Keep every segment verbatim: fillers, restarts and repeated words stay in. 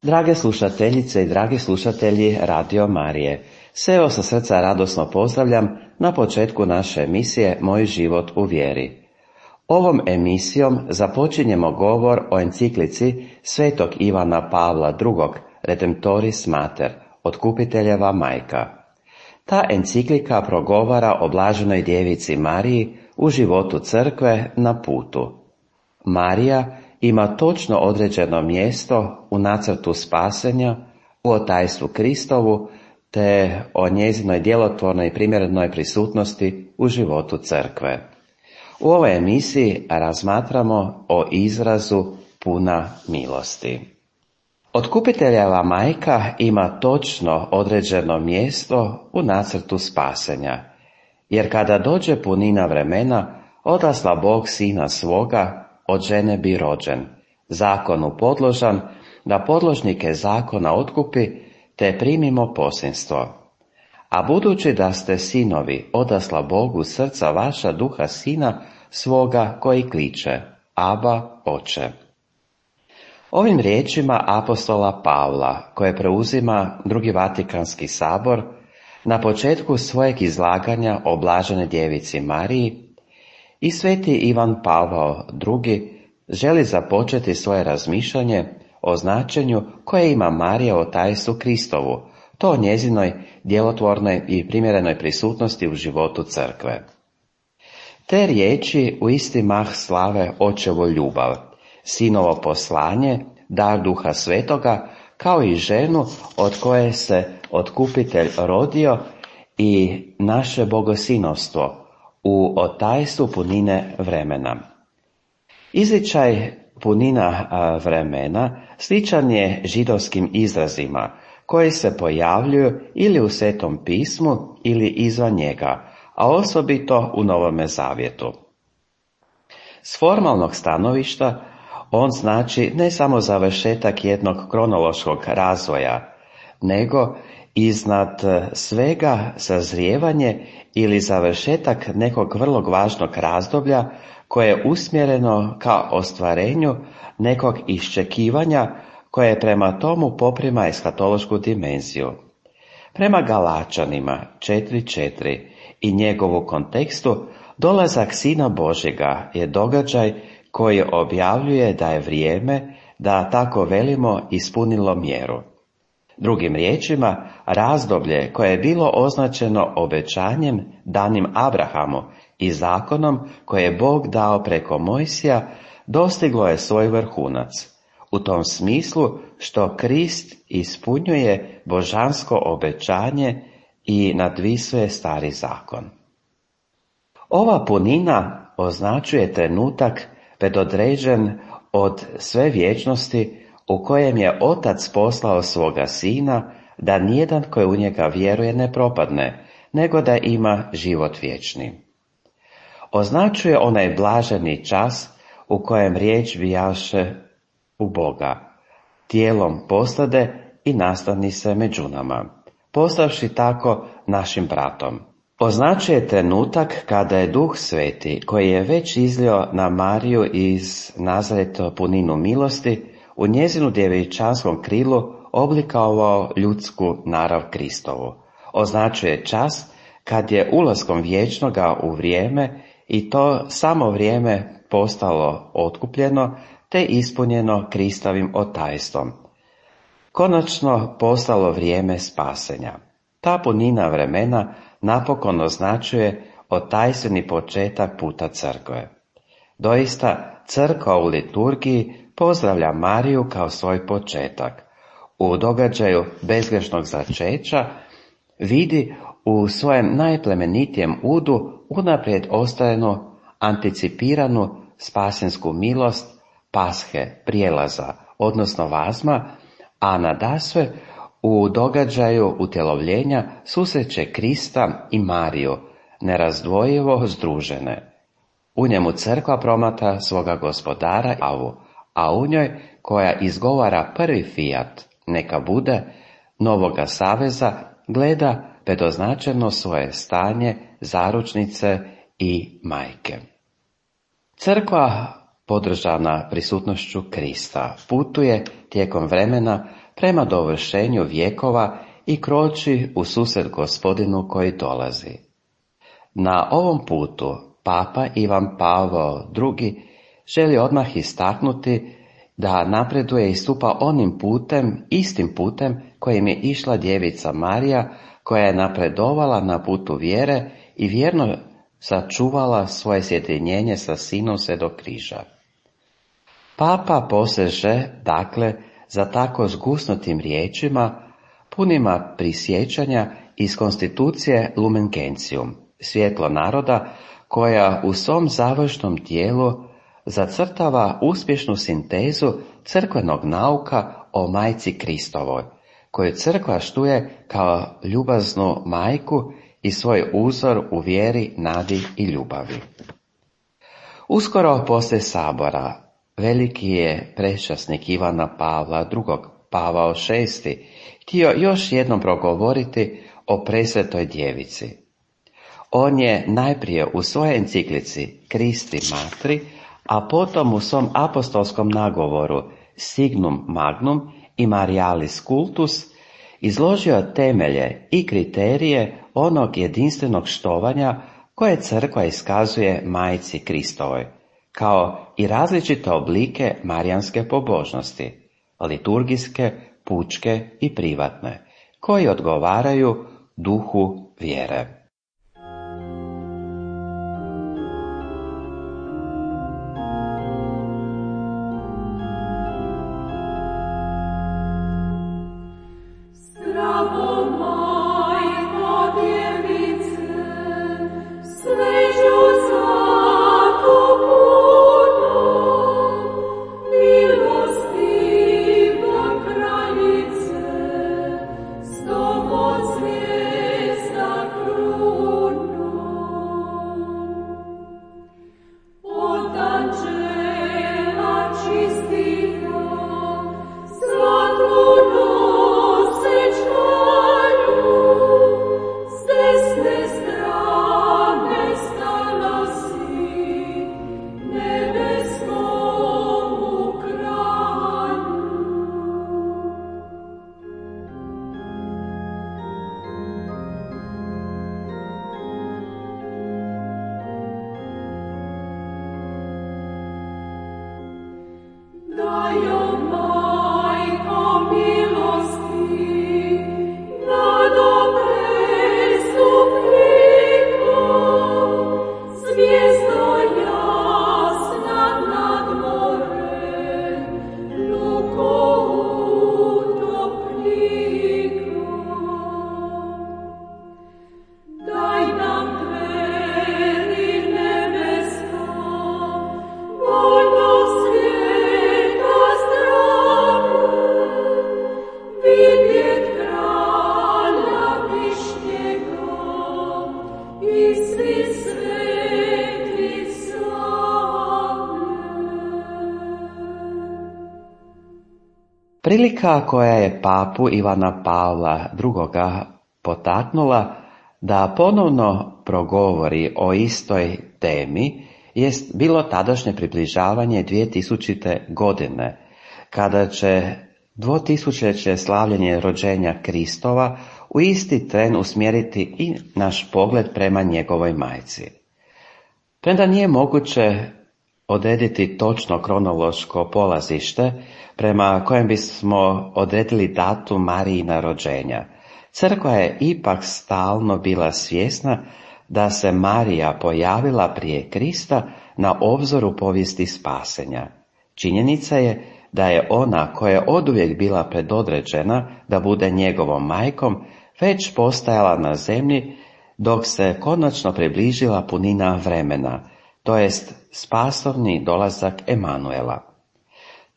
Drage slušateljice i dragi slušatelji Radio Marije, sve vas sa srca radosno pozdravljam na početku naše emisije Moj život u vjeri. Ovom emisijom započinjemo govor o enciklici svetog Ivana Pavla drugog. Redemptoris Mater, Otkupiteljeva majka. Ta enciklika progovara o blaženoj djevici Mariji u životu crkve na putu. Marija ima točno određeno mjesto u nacrtu spasenja, u otajstvu Kristovu, te o njezinoj djelotvornoj i primjerenoj prisutnosti u životu crkve. U ovoj emisiji razmatramo o izrazu puna milosti. Otkupiteljeva majka ima točno određeno mjesto u nacrtu spasenja, jer kada dođe punina vremena, odasla Bog sina svoga, od žene bi rođen, zakonu podložan, da podložnike zakona otkupi, te primimo posinstvo. A budući da ste sinovi, odasla Bogu srca vaša duha sina svoga koji kliče, Aba, Oče. Ovim riječima apostola Pavla, koje preuzima drugi Vatikanski sabor, na početku svojeg izlaganja o blaženoj djevici Mariji, i sveti Ivan Pavao drugi želi započeti svoje razmišljanje o značenju koje ima Marija o tajstvu Kristovu, to o njezinoj djelotvornoj i primjerenoj prisutnosti u životu crkve. Te riječi u isti mah slave očevu ljubav, sinovo poslanje, dar duha svetoga, kao i ženu od koje se otkupitelj rodio i naše bogosinovstvo u otajstvu punine vremena. Izričaj punina vremena sličan je židovskim izrazima koji se pojavljuju ili u Svetom pismu ili izvan njega, a osobito u Novome zavjetu. S formalnog stanovišta on znači ne samo završetak jednog kronološkog razvoja, nego iznad svega sazrijevanje ili završetak nekog vrlo važnog razdoblja koje je usmjereno ka ostvarenju nekog iščekivanja koje prema tomu poprima eskatološku dimenziju. Prema Galačanima četiri četiri i njegovu kontekstu, dolazak Sina Božjega je događaj koji objavljuje da je vrijeme, da tako velimo, ispunilo mjeru. Drugim riječima, razdoblje koje je bilo označeno obećanjem danim Abrahamu i zakonom koje je Bog dao preko Mojsija, dostiglo je svoj vrhunac, u tom smislu što Krist ispunjuje božansko obećanje i nadvisuje stari zakon. Ova punina označuje trenutak predodređen od sve vječnosti u kojem je Otac poslao svoga Sina, da nijedan koji u njega vjeruje ne propadne, nego da ima život vječni. Označuje onaj blaženi čas u kojem riječ bijaše u Boga, tijelom postade i nastani se među nama, postavši tako našim bratom. Označuje trenutak kada je Duh Sveti, koji je već izlio na Mariju iz Nazareta puninu milosti, u njezinu djevičanskom krilu oblikovao ljudsku narav Kristovu. Označuje čas kad je ulaskom vječnoga u vrijeme i to samo vrijeme postalo otkupljeno te ispunjeno Kristovim otajstvom. Konačno postalo vrijeme spasenja. Ta punina vremena napokon označuje otajstveni početak puta crkve. Doista, crkva u liturgiji pozdravlja Mariju kao svoj početak. U događaju bezgrešnog začeća vidi u svojem najplemenitijem udu unaprijed ostajenu, anticipiranu spasensku milost pashe, prijelaza, odnosno vazma, a nadasve u događaju utjelovljenja susreće Krista i Mariju, nerazdvojivo združene. U njemu crkva promatra svoga gospodara, a u njoj, koja izgovara prvi fijat, neka bude, novoga saveza, gleda predoznačeno svoje stanje zaručnice i majke. Crkva, podržana prisutnošću Krista, putuje tijekom vremena prema dovršenju vjekova i kroči u susret Gospodinu koji dolazi. Na ovom putu Papa Ivan Pavao drugi želi odmah istaknuti da napreduje i stupa onim putem, istim putem kojim je išla djevica Marija, koja je napredovala na putu vjere i vjerno sačuvala svoje sjedinjenje sa sinom sve do križa. Papa poseže, dakle, za tako zgusnutim riječima, punima prisjećanja iz konstitucije Lumen Gentium, svjetlo naroda, koja u svom završnom dijelu zacrtava uspješnu sintezu crkvenog nauka o majci Kristovoj, koju crkva štuje kao ljubaznu majku i svoj uzor u vjeri, nadi i ljubavi. Uskoro poslije sabora veliki je prečasnik Ivana Pavla drugog, Pavao šesti, htio još jednom progovoriti o presvetoj djevici. On je najprije u svojoj enciklici Christi Matri, a potom u svom apostolskom nagovoru Signum Magnum i Marialis Cultus izložio temelje i kriterije onog jedinstvenog štovanja koje crkva iskazuje majci Kristovoj, kao i različite oblike marijanske pobožnosti, liturgijske, pučke i privatne, koji odgovaraju duhu vjere. Prilika koja je papu Ivana Pavla drugoga potaknula da ponovno progovori o istoj temi jest bilo tadašnje približavanje dvjetisućite godine, kada će dvotisućeće slavljenje rođenja Kristova u isti tren usmjeriti i naš pogled prema njegovoj majci. Premda nije moguće odrediti točno kronološko polazište prema kojem bismo odredili datum Marijina rođenja, crkva je ipak stalno bila svjesna da se Marija pojavila prije Krista na obzoru povijesti spasenja. Činjenica je da je ona koja je oduvijek bila predodređena da bude njegovom majkom, već postajala na zemlji dok se konačno približila punina vremena, to jest spasovni dolazak Emanuela.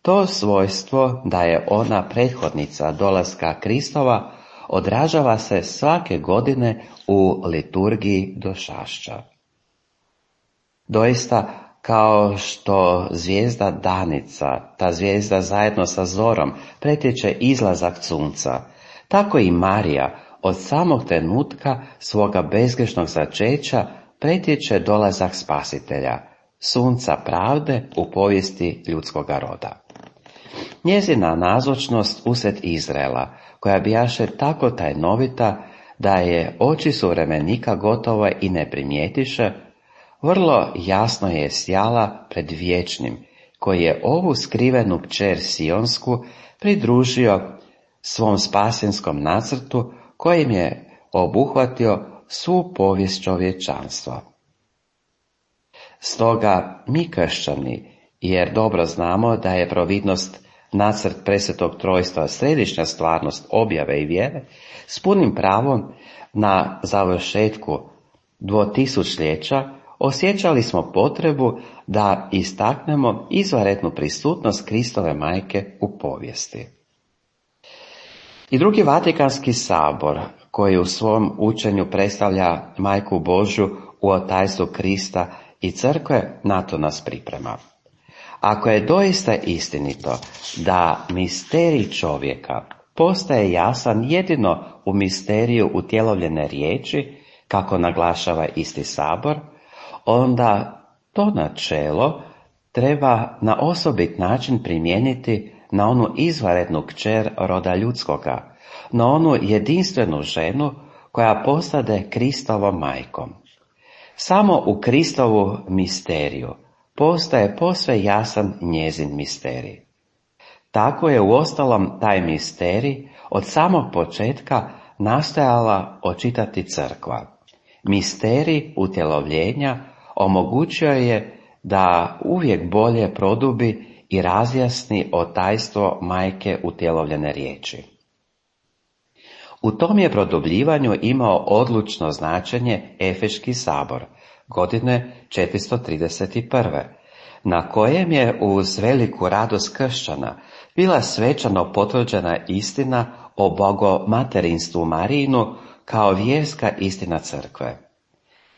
To svojstvo da je ona prethodnica dolaska Kristova odražava se svake godine u liturgiji došašća. Doista, kao što zvijezda Danica, ta zvijezda zajedno sa zorom, pretječe izlazak sunca, tako i Marija od samog trenutka svoga bezgrešnog začeća pretječe dolazak Spasitelja, sunca pravde u povijesti ljudskoga roda. njezina nazočnost usred Izraela, koja bijaše tako tajnovita da je oči suvremenika gotovo i ne primijetiše, vrlo jasno je sjala pred vječnim, koji je ovu skrivenu kćer Sionsku pridružio svom spasenskom nacrtu, kojim je obuhvatio svu povijest čovječanstva. Stoga mi kršćani, jer dobro znamo da je providnost nacrt presvetog trojstva središnja stvarnost objave i vjere, s punim pravom na završetku dvotisućljeća osjećali smo potrebu da istaknemo izvanrednu prisutnost Kristove majke u povijesti. I drugi Vatikanski sabor, koji u svom učenju predstavlja Majku Božju u otajstvu Krista i crkve, na to nas priprema. Ako je doista istinito da misterij čovjeka postaje jasan jedino u misteriju utjelovljene riječi, kako naglašava isti sabor, onda to načelo treba na osobit način primijeniti na onu izvanrednu kćer roda ljudskoga, na onu jedinstvenu ženu koja postade Kristovom majkom. Samo u Kristovu misteriju postaje posve jasan njezin misterij. Tako je uostalom taj misterij od samog početka nastojala očitati crkva. Misterij utjelovljenja omogućio je da uvijek bolje produbi i razjasni otajstvo majke utjelovljene riječi. U tom je produbljivanju imao odlučno značenje Efeški sabor, godine četiristo trideset prve, na kojem je uz veliku radost kršćana bila svečano potvrđena istina o bogomaterinstvu Marijinu kao vjerska istina crkve.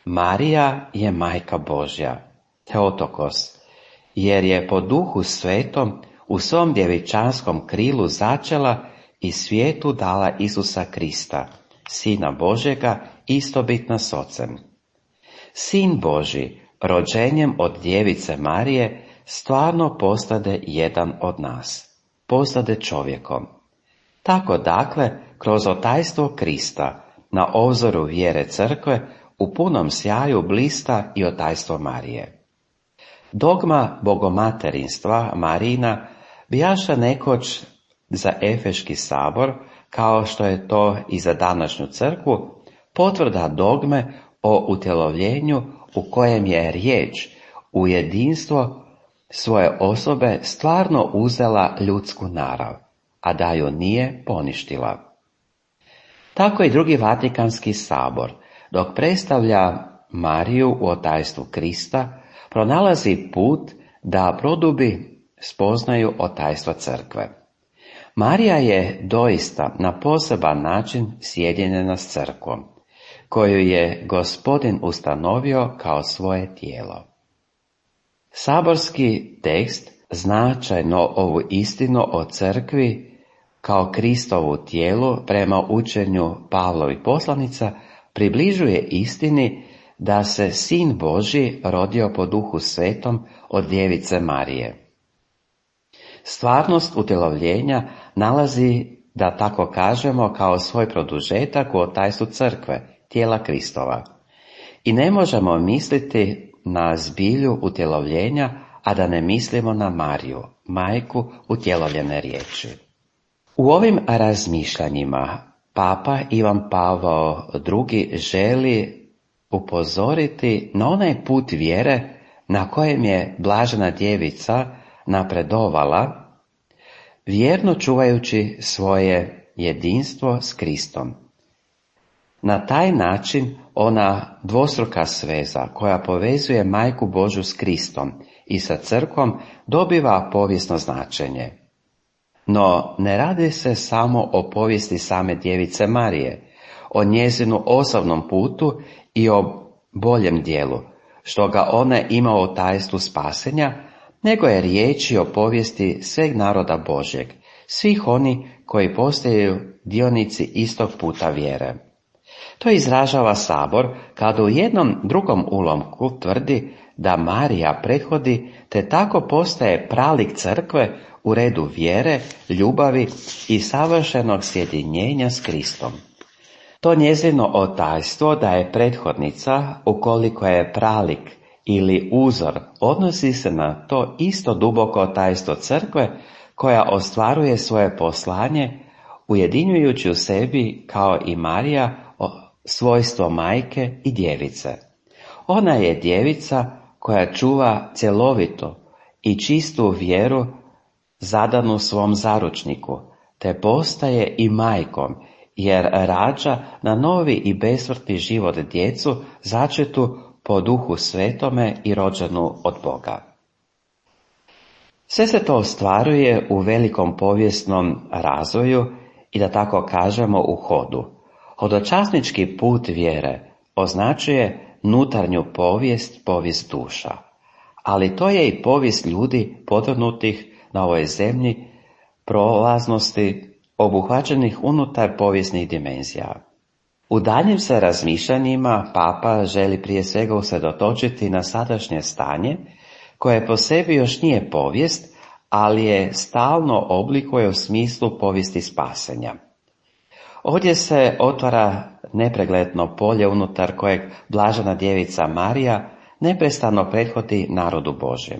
Marija je majka Božja, Theotokos, jer je po duhu svetom u svom djevičanskom krilu začela i svijetu dala Isusa Krista, Sina Božjega, istobitna s Ocem. Sin Božji, rođenjem od djevice Marije, stvarno postade jedan od nas, postade čovjekom. Tako dakle, kroz otajstvo Krista, na obzoru vjere crkve, u punom sjaju blista i otajstvo Marije. Dogma bogomaterinstva Marijina bijaša nekoć za Efeški sabor, kao što je to i za današnju crkvu, potvrda dogme o utjelovljenju u kojem je riječ u jedinstvo svoje osobe stvarno uzela ljudsku narav, a da ju nije poništila. Tako i drugi Vatikanski sabor, dok predstavlja Mariju u otajstvu Krista, pronalazi put da produbi spoznaju otajstva crkve. Marija je doista na poseban način sjedinjena s crkvom, koju je Gospodin ustanovio kao svoje tijelo. Saborski tekst značajno ovu istinu o crkvi kao Kristovu tijelu prema učenju Pavlovih poslanica približuje istini da se Sin Božji rodio po Duhu Svetom od djevice Marije. Stvarnost utjelovljenja nalazi, da tako kažemo, kao svoj produžetak u otajstvu crkve, tijela Kristova. I ne možemo misliti na zbilju utjelovljenja, a da ne mislimo na Mariju, majku utjelovljene riječi. U ovim razmišljanjima Papa Ivan Pavao drugi želi upozoriti na onaj put vjere na kojem je blažena djevica napredovala, vjerno čuvajući svoje jedinstvo s Kristom. Na taj način ona dvostruka sveza koja povezuje Majku Božju s Kristom i sa crkvom dobiva povijesno značenje. No ne radi se samo o povijesti same djevice Marije, o njezinu osobnom putu i o boljem dijelu, što ga ona ima u tajstvu spasenja, nego je riječ o povijesti sveg naroda Božjeg, svih oni koji postaju dionici istog puta vjere. To izražava sabor kada u jednom drugom ulomku tvrdi da Marija prethodi te tako postaje pralik crkve u redu vjere, ljubavi i savršenog sjedinjenja s Kristom. To njezino otajstvo da je prethodnica, ukoliko je pralik ili uzor, odnosi se na to isto duboko otajstvo crkve koja ostvaruje svoje poslanje ujedinjujući u sebi kao i Marija svojstvo majke i djevice. Ona je djevica koja čuva cjelovitu i čistu vjeru zadanu svom zaručniku, te postaje i majkom, jer rađa na novi i besmrtni život djecu začetu po Duhu Svetome i rođenu od Boga. Sve se to ostvaruje u velikom povijesnom razvoju i da tako kažemo u hodu. Hodočasnički put vjere označuje nutarnju povijest, povijest duša, ali to je i povijest ljudi podvrnutih na ovoj zemlji, prolaznosti, obuhvaćenih unutar povijesnih dimenzija. U daljnjim se razmišljanjima Papa želi prije svega usredotočiti na sadašnje stanje, koje po sebi još nije povijest, ali je stalno oblikuje u smislu povijesti spasenja. Ovdje se otvara nepregledno polje unutar kojeg blažena djevica Marija neprestano prethodi narodu Božjem.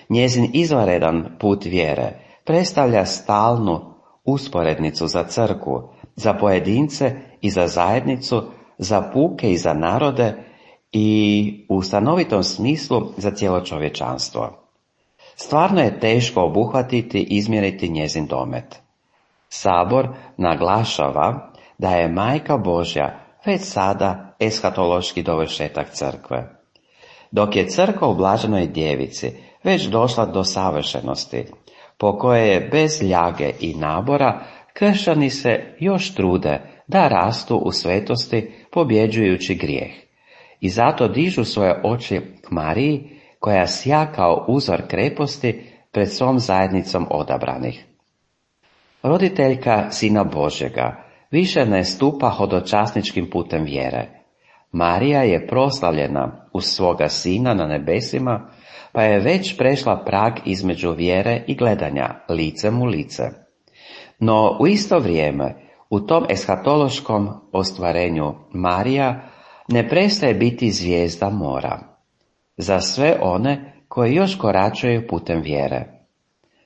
Njezin izvanredan put vjere predstavlja stalnu usporednicu za crkvu, za pojedince i za zajednicu, za puke i za narode i u stanovitom smislu za cijelo čovječanstvo. Stvarno je teško obuhvatiti i izmjeriti njezin domet. Sabor naglašava da je Majka Božja već sada eshatološki dovršetak crkve. Dok je crkva u blaženoj djevici već došla do savršenosti, po kojoj je bez ljage i nabora, kršćani se još trude da rastu u svetosti pobjeđujući grijeh. I zato dižu svoje oči k Mariji, koja sja kao uzor kreposti pred svom zajednicom odabranih. Roditeljka Sina Božjega više ne stupa hodočasničkim putem vjere. Marija je proslavljena uz svoga Sina na nebesima, pa je već prešla prag između vjere i gledanja, licem u lice. No u isto vrijeme, u tom eshatološkom ostvarenju Marija ne prestaje biti zvijezda mora za sve one koji još koračaju putem vjere.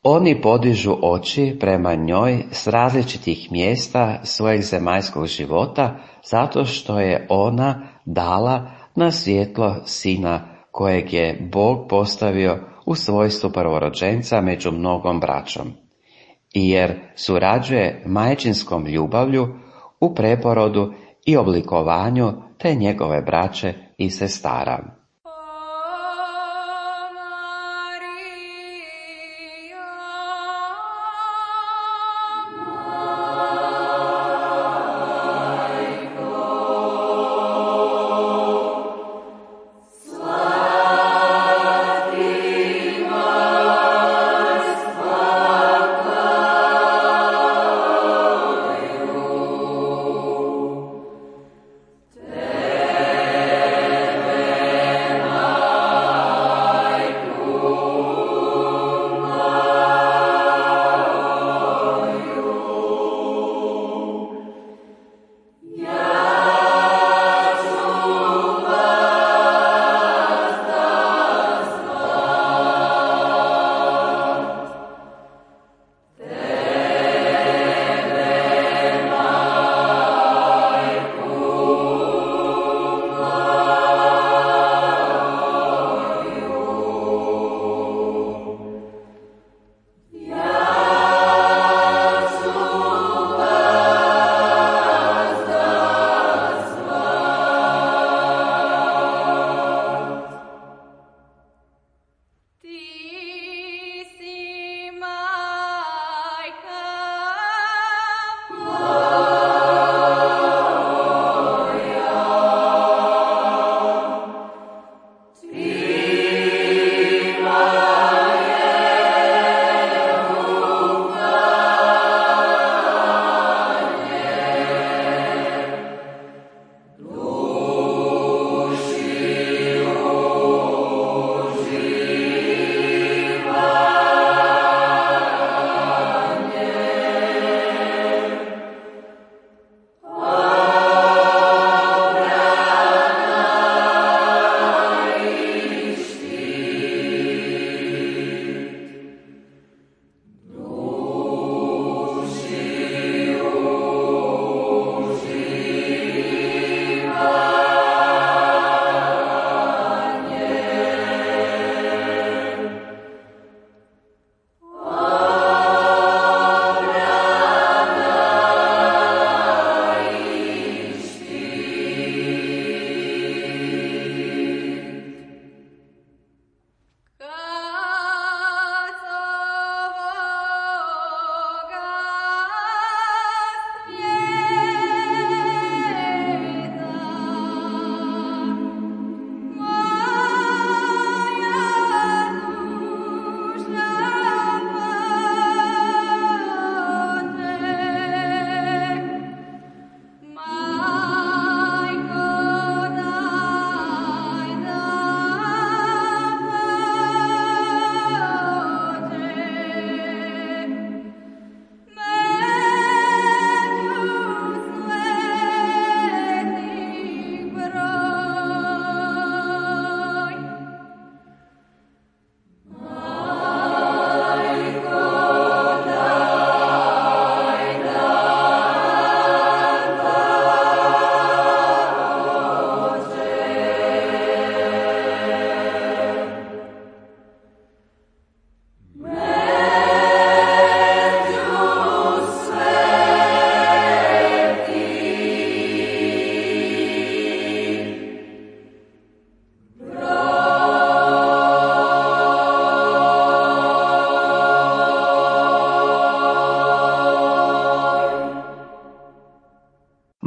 Oni podižu oči prema njoj s različitih mjesta svojeg zemaljskog života, zato što je ona dala na svjetlo Sina kojeg je Bog postavio u svojstvu prvorođenca među mnogom braćom, i jer surađuje majčinskom ljubavlju u preporodu i oblikovanju te njegove braće i sestara. Tebe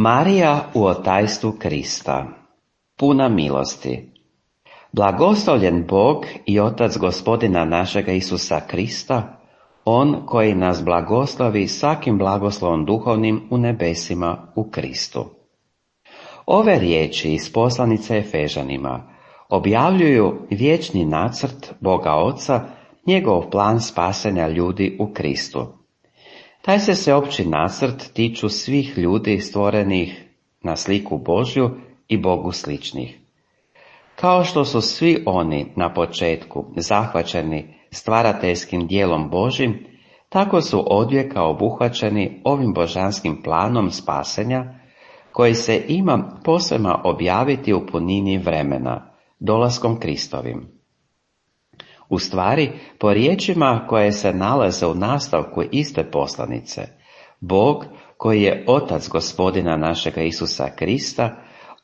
Marija u otajstvu Krista, puna milosti. Blagoslovljen Bog i Otac Gospodina našega Isusa Krista, On koji nas blagoslovi svakim blagoslovom duhovnim u nebesima u Kristu. Ove riječi iz poslanice Efežanima objavljuju vječni nacrt Boga Oca, njegov plan spasenja ljudi u Kristu. Taj se sveopći nacrt tiču svih ljudi stvorenih na sliku Božju i Bogu sličnih. Kao što su svi oni na početku zahvaćeni stvarateljskim dijelom Božjim, tako su odvijeka obuhvaćeni ovim božanskim planom spasenja, koji se ima posvema objaviti u punini vremena, dolaskom Kristovim. U stvari, po riječima koje se nalaze u nastavku iste poslanice, Bog, koji je Otac Gospodina našega Isusa Krista,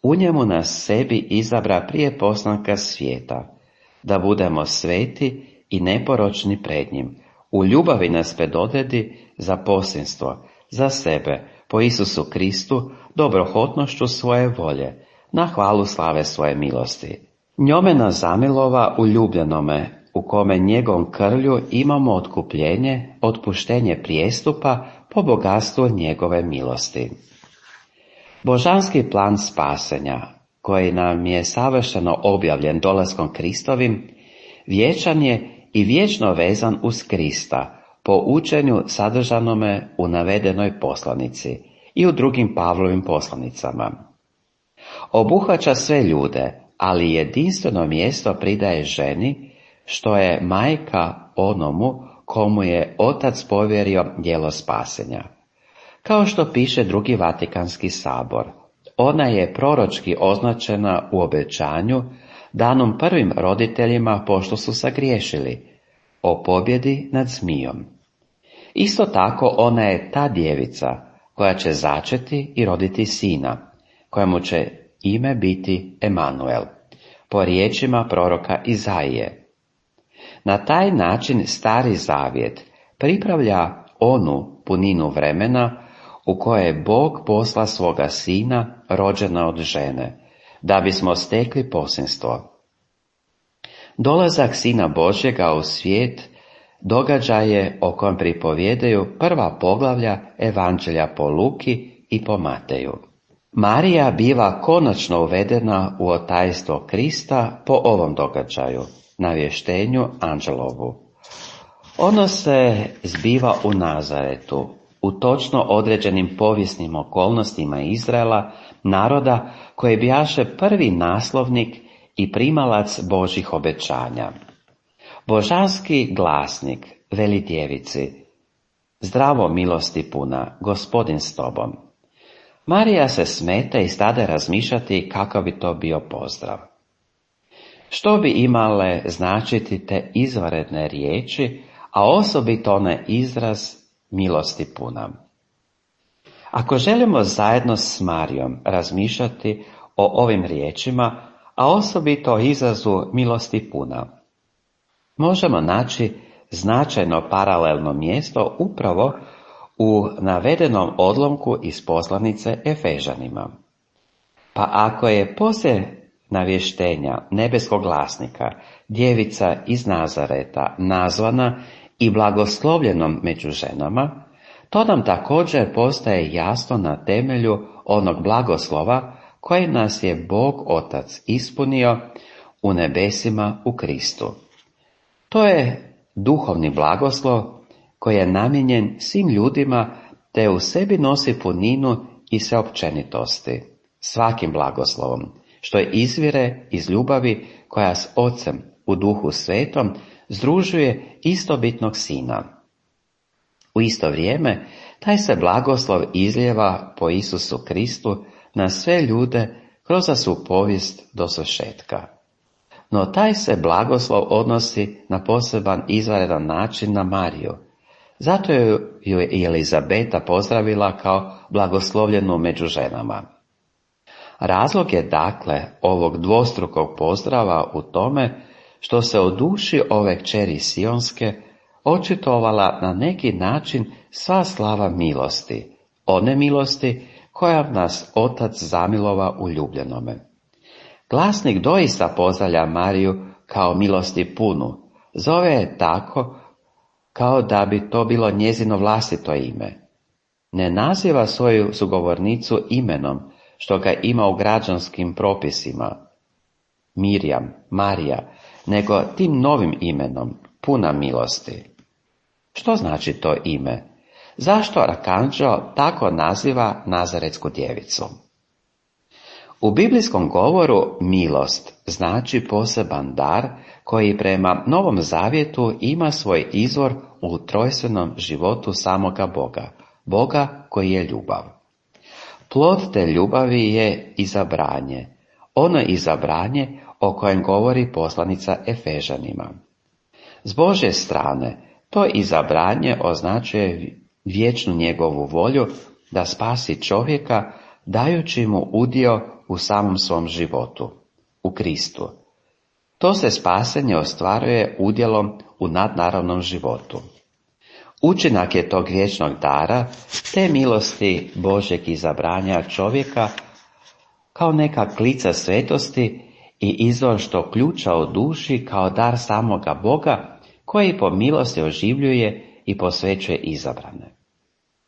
u njemu nas sebi izabra prije postanka svijeta, da budemo sveti i neporočni pred njim, u ljubavi nas predodredi za posinstvo, za sebe, po Isusu Kristu, dobrohotnošću svoje volje, na hvalu slave svoje milosti. Njome nas zamilova u ljubljenome, u kome njegovom krvlju imamo otkupljenje, otpuštenje prijestupa po bogatstvu njegove milosti. Božanski plan spasenja, koji nam je savršeno objavljen dolaskom Kristovim, vječan je i vječno vezan uz Krista, po učenju sadržanome u navedenoj poslanici i u drugim Pavlovim poslanicama. Obuhvaća sve ljude, ali jedinstveno mjesto pridaje ženi, što je majka onomu komu je Otac povjerio djelo spasenja. Kao što piše drugi Vatikanski sabor, ona je proročki označena u obećanju danom prvim roditeljima pošto su sagriješili, o pobjedi nad zmijom. Isto tako ona je ta djevica koja će začeti i roditi sina, kojemu će ime biti Emanuel, po riječima proroka Izaije. Na taj način Stari Zavjet pripravlja onu puninu vremena u kojoj je Bog posla svoga sina rođena od žene, da bismo stekli posinstvo. Dolazak Sina Božjega u svijet događaj je o kojem pripovjedaju prva poglavlja Evanđelja po Luki i po Mateju. Marija biva konačno uvedena u otajstvo Krista po ovom događaju, navještenju anđelovu. Ono se zbiva u Nazaretu, u točno određenim povijesnim okolnostima Izraela, naroda koji bijaše prvi naslovnik i primalac Božjih obećanja. Božanski glasnik veli djevici: zdravo milosti puna, Gospodin s tobom. Marija se smete i stade razmišljati kakav bi to bio pozdrav. Što bi imale značiti te izvanredne riječi, a osobito onaj izraz milosti puna? Ako želimo zajedno s Marijom razmišljati o ovim riječima, a osobito o izrazu milosti puna, možemo naći značajno paralelno mjesto upravo u navedenom odlomku iz poslanice Efežanima. Pa ako je poslije navještenja nebeskog glasnika djevica iz Nazareta nazvana i blagoslovljenom među ženama, to nam također postaje jasno na temelju onog blagoslova koji nas je Bog Otac ispunio u nebesima u Kristu. To je duhovni blagoslov koji je namijenjen svim ljudima te u sebi nosi puninu i sveopćenitosti, svakim blagoslovom, što je izvire iz ljubavi koja s Ocem u Duhu Svetom združuje istobitnog Sina. U isto vrijeme taj se blagoslov izlijeva po Isusu Kristu na sve ljude kroz svu povijest do svršetka. No taj se blagoslov odnosi na poseban izvanredan način na Mariju. Zato ju je Elizabeta pozdravila kao blagoslovljenu među ženama. Razlog je dakle ovog dvostrukog pozdrava u tome što se u duši ove kćeri Sionske očitovala na neki način sva slava milosti, one milosti kojom nas Otac zamilova u ljubljenome. Glasnik doista pozdravlja Mariju kao milosti punu, zove je tako kao da bi to bilo njezino vlastito ime. Ne naziva svoju sugovornicu imenom, što ga ima u građanskim propisima, Mirjam, Marija, nego tim novim imenom, puna milosti. Što znači to ime? Zašto arkanđeo tako naziva Nazaretsku djevicu? U biblijskom govoru milost znači poseban dar koji prema Novom Zavjetu ima svoj izvor u trojstvenom životu samoga Boga, Boga koji je ljubav. Plod te ljubavi je izabranje, ono izabranje o kojem govori poslanica Efežanima. S Božje strane, to izabranje označuje vječnu njegovu volju da spasi čovjeka, dajući mu udio u samom svom životu, u Kristu. To se spasenje ostvaruje udjelom u nadnaravnom životu. Učinak je tog vječnog dara, te milosti Božjeg izabranja čovjeka, kao neka klica svetosti i izvor što ključa u duši kao dar samoga Boga, koji po milosti oživljuje i posvećuje izabrane.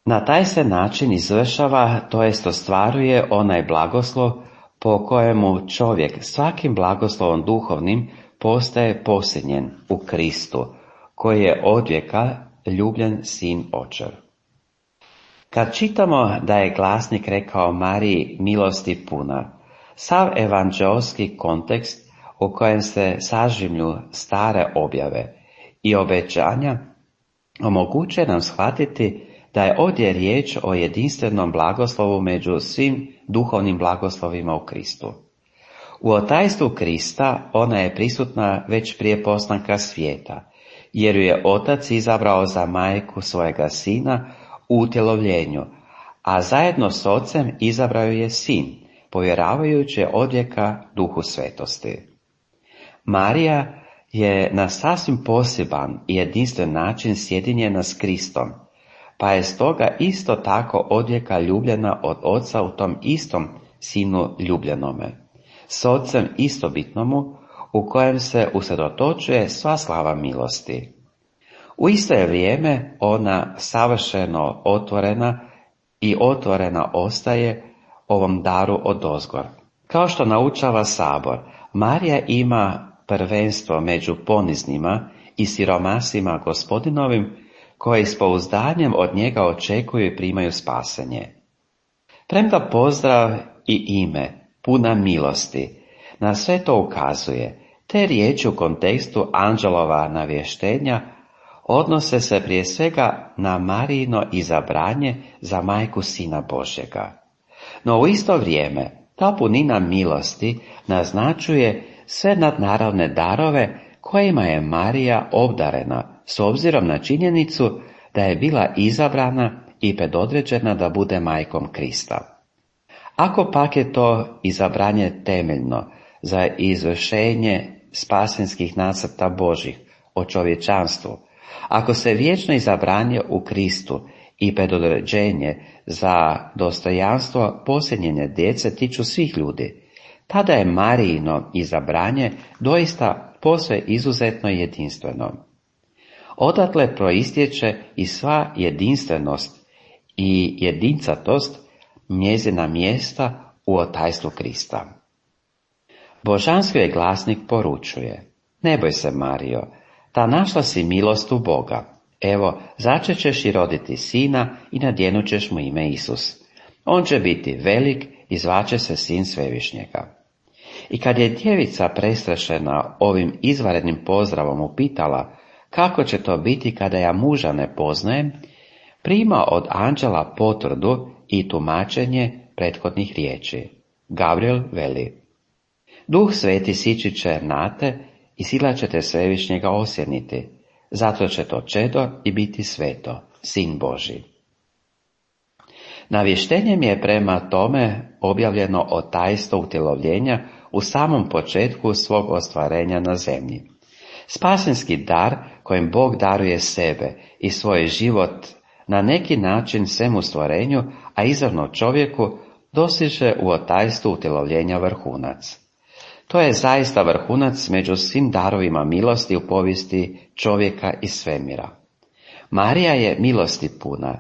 Na taj se način izvršava, to jest ostvaruje onaj blagoslov po kojemu čovjek svakim blagoslovom duhovnim postaje posljednjen u Kristu, koji je odvijeka ljubljen sin Očev. Kad čitamo da je glasnik rekao Mariji milosti puna, sav evanđeolski kontekst u kojem se sažimlju stare objave i obećanja omogućuje nam shvatiti da je ovdje riječ o jedinstvenom blagoslovu među svim duhovnim blagoslovima u Kristu. U otajstvu Krista ona je prisutna već prije postanka svijeta, jer ju je Otac izabrao za majku svojega sina u utjelovljenju, a zajedno s Ocem izabrao je sin, povjeravajući odvijeka Duhu svetosti. Marija je na sasvim poseban i jedinstven način sjedinjena s Kristom, pa je stoga isto tako odvijeka ljubljena od Oca u tom istom sinu ljubljenome, s Ocem istobitnomu, u kojem se usredotočuje sva slava milosti. U isto je vrijeme ona savršeno otvorena i otvorena ostaje ovom daru odozgor. Kao što naučava Sabor, Marija ima prvenstvo među poniznima i siromasima Gospodinovim, koji s pouzdanjem od njega očekuju i primaju spasenje. Premda pozdrav i ime, puna milosti, na sve to ukazuje, te riječi u kontekstu anđelova navještenja odnose se prije svega na Marijino izabranje za majku Sina Božjega. No u isto vrijeme ta punina milosti naznačuje sve nadnaravne darove kojima je Marija obdarena s obzirom na činjenicu da je bila izabrana i predodređena da bude majkom Krista. Ako pak je to izabranje temeljno za izvršenje spasenskih nacrta Božih o čovječanstvu, ako se vječno izabranje u Kristu i predodređenje za dostojanstvo posljednje djece tiču svih ljudi, tada je Marijino izabranje doista posve izuzetno i jedinstveno. Odatle proistječe i sva jedinstvenost i jedincatost njezina mjesta u otajstvu Krista. Božanski je glasnik poručuje: ne boj se, Marijo, ta našla si milost u Boga. Evo, začet ćeš i roditi sina i nadjenut ćeš mu ime Isus. On će biti velik i zvaće se sin Svevišnjega. I kad je djevica prestrašena ovim izvanrednim pozdravom upitala kako će to biti kada ja muža ne poznajem, prima od anđela potvrdu i tumačenje prethodnih riječi. Gabriel veli: Duh Sveti sići će na te i sila će te Svevišnjega osjeniti, zato će to čedo i biti sveto, sin Božji. Navještenjem je prema tome objavljeno otajstvo utjelovljenja u samom početku svog ostvarenja na zemlji. Spasenski dar kojim Bog daruje sebe i svoj život na neki način svemu stvorenju, a izravno čovjeku, dostiže u otajstvu utjelovljenja vrhunac. To je zaista vrhunac među svim darovima milosti u povijesti čovjeka i svemira. Marija je milosti puna,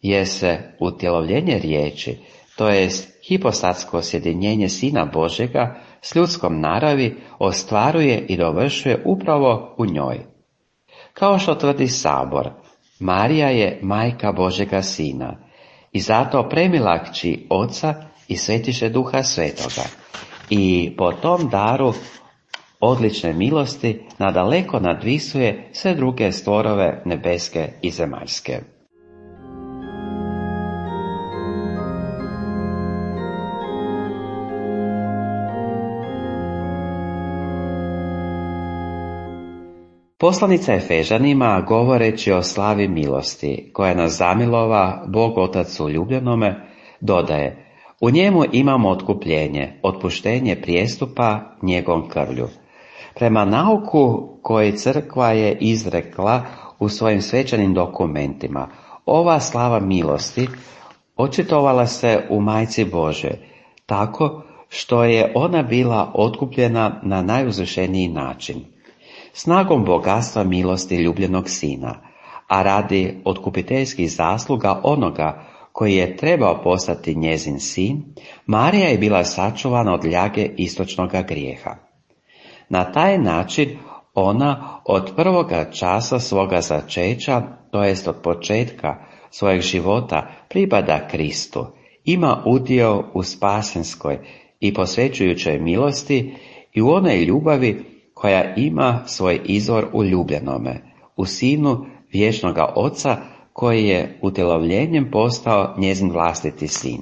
jer se utjelovljenje riječi, to jest hipostatsko sjedinjenje Sina Božjega s ljudskom naravi, ostvaruje i dovršuje upravo u njoj. Kao što tvrdi Sabor, Marija je majka Božjega Sina i zato premila kći Oca i Svetiše Duha Svetoga. I po tom daru odlične milosti nadaleko nadvisuje sve druge stvorove nebeske i zemaljske. Poslanica Efežanima, govoreći o slavi milosti koja nas zamilova Bog Otac u ljubljenome, dodaje: u njemu imamo otkupljenje, otpuštenje prijestupa njegovom krvlju. Prema nauku koji crkva je izrekla u svojim svečanim dokumentima, ova slava milosti očitovala se u Majci Božje, tako što je ona bila otkupljena na najuzvišeniji način. Snagom bogatstva milosti ljubljenog Sina, a radi otkupiteljskih zasluga onoga koji je trebao postati njezin sin, Marija je bila sačuvana od ljage istočnoga grijeha. Na taj način ona od prvoga časa svoga začeća, to jest od početka svojeg života, pripada Kristu, ima udio u spasenskoj i posvećujućoj milosti i u onoj ljubavi koja ima svoj izvor u ljubljenome, u Sinu vječnoga Oca, koji je utjelovljenjem postao njezin vlastiti sin.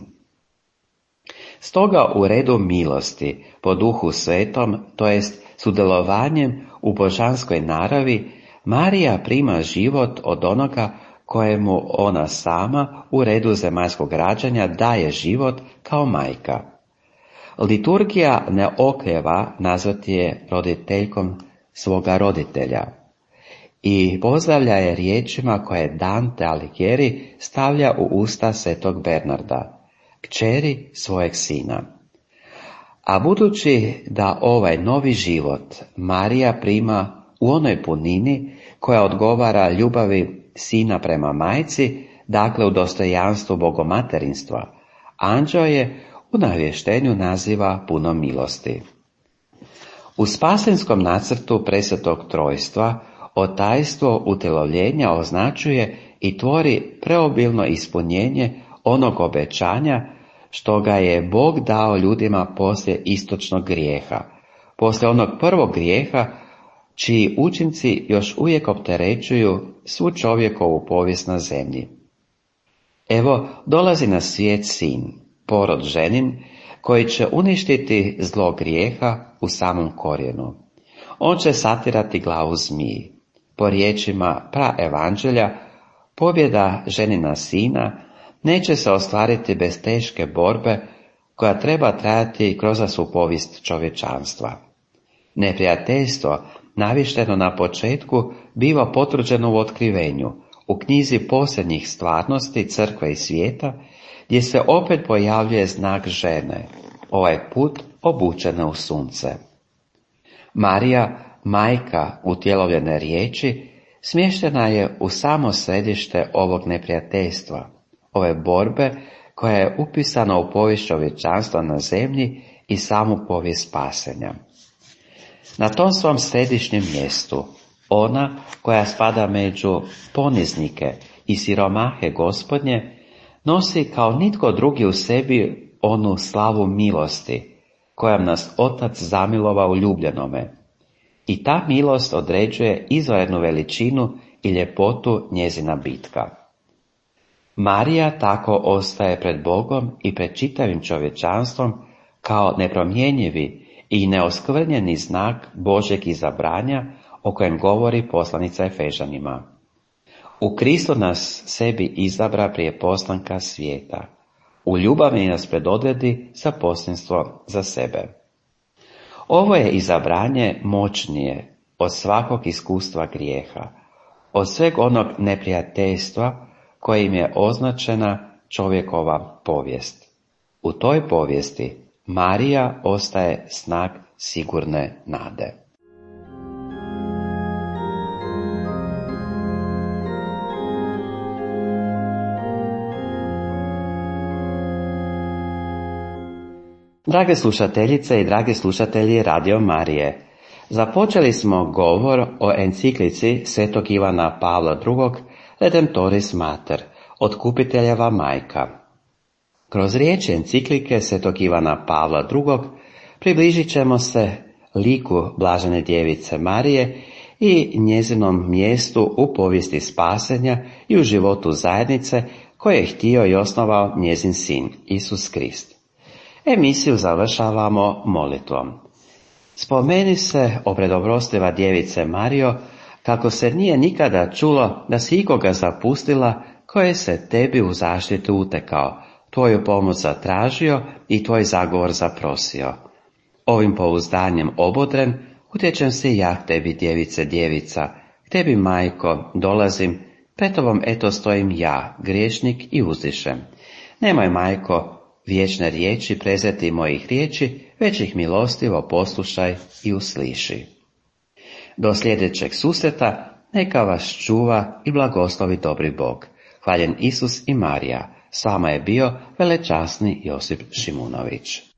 Stoga u redu milosti po Duhu Svetom, to jest sudjelovanjem u božanskoj naravi, Marija prima život od onoga kojemu ona sama u redu zemaljskog rađanja daje život kao majka. Liturgija ne oklijeva nazvati je roditeljkom svoga roditelja i pozdravlja je riječima koje Dante Alighieri stavlja u usta svetog Bernarda, kćeri svojeg sina. A budući da ovaj novi život Marija prima u onoj punini koja odgovara ljubavi sina prema majci, dakle u dostojanstvu bogomaterinstva, anđeo je u navještenju naziva puno milosti. U spasenskom nacrtu presvetog trojstva otajstvo utjelovljenja označuje i tvori preobilno ispunjenje onog obećanja što ga je Bog dao ljudima poslije istočnog grijeha, poslije onog prvog grijeha čiji učinci još uvijek opterećuju svu čovjekovu povijest na zemlji. Evo, dolazi na svijet sin, porod ženin, koji će uništiti zlo grijeha u samom korijenu. On će satirati glavu zmiji. Po riječima praevanđelja, pobjeda ženina sina neće se ostvariti bez teške borbe koja treba trajati kroz svu povijest čovječanstva. Neprijateljstvo, navišteno na početku, biva potvrđeno u otkrivenju, u knjizi posljednjih stvarnosti crkve i svijeta, gdje se opet pojavljuje znak žene, ovaj put obučena u sunce. Marija, majka utjelovljene riječi, smještena je u samo središte ovog neprijateljstva, ove borbe koja je upisana u povijest čovječanstva na zemlji i samu povijest spasenja. Na tom svom središnjem mjestu, ona koja spada među poniznike i siromahe Gospodnje, nosi kao nitko drugi u sebi onu slavu milosti, kojom nas Otac zamilova u ljubljenome. I ta milost određuje izvanrednu veličinu i ljepotu njezina bitka. Marija tako ostaje pred Bogom i pred čitavim čovječanstvom kao nepromjenjivi i neoskvrnjeni znak Božjeg izabranja o kojem govori poslanica Efežanima. U Kristu nas sebi izabra prije postanka svijeta. U ljubavi nas predodredi za posljedstvo za sebe. Ovo je izabranje moćnije od svakog iskustva grijeha, od sveg onog neprijateljstva kojim je označena čovjekova povijest. U toj povijesti Marija ostaje znak sigurne nade. Drage slušateljice i dragi slušatelji Radio Marije, započeli smo govor o enciklici svetog Ivana Pavla drugog. Redemptoris Mater, Otkupiteljeva majka. Kroz riječi enciklike svetog Ivana Pavla drugog. približit ćemo se liku Blažene djevice Marije i njezinom mjestu u povijesti spasenja i u životu zajednice koje je htio i osnovao njezin sin, Isus Krist. Emisiju završavamo molitvom. Spomeni se o predobrostiva djevice Marijo, kako se nije nikada čulo da si ikoga zapustila koje se tebi u zaštitu utekao, tvoju pomoć zatražio i tvoj zagovor zaprosio. Ovim pouzdanjem obodren, utječem se ja k tebi, djevice djevica, k tebi, majko, dolazim, pred tobom eto stojim ja, griješnik, i uzdišem. Nemoj, majko, vječne riječi prezeti mojih riječi, već ih milostivo poslušaj i usliši. Do sljedećeg susreta neka vas čuva i blagoslovi dobri Bog. Hvaljen Isus i Marija, s vama je bio velečasni Josip Šimunović.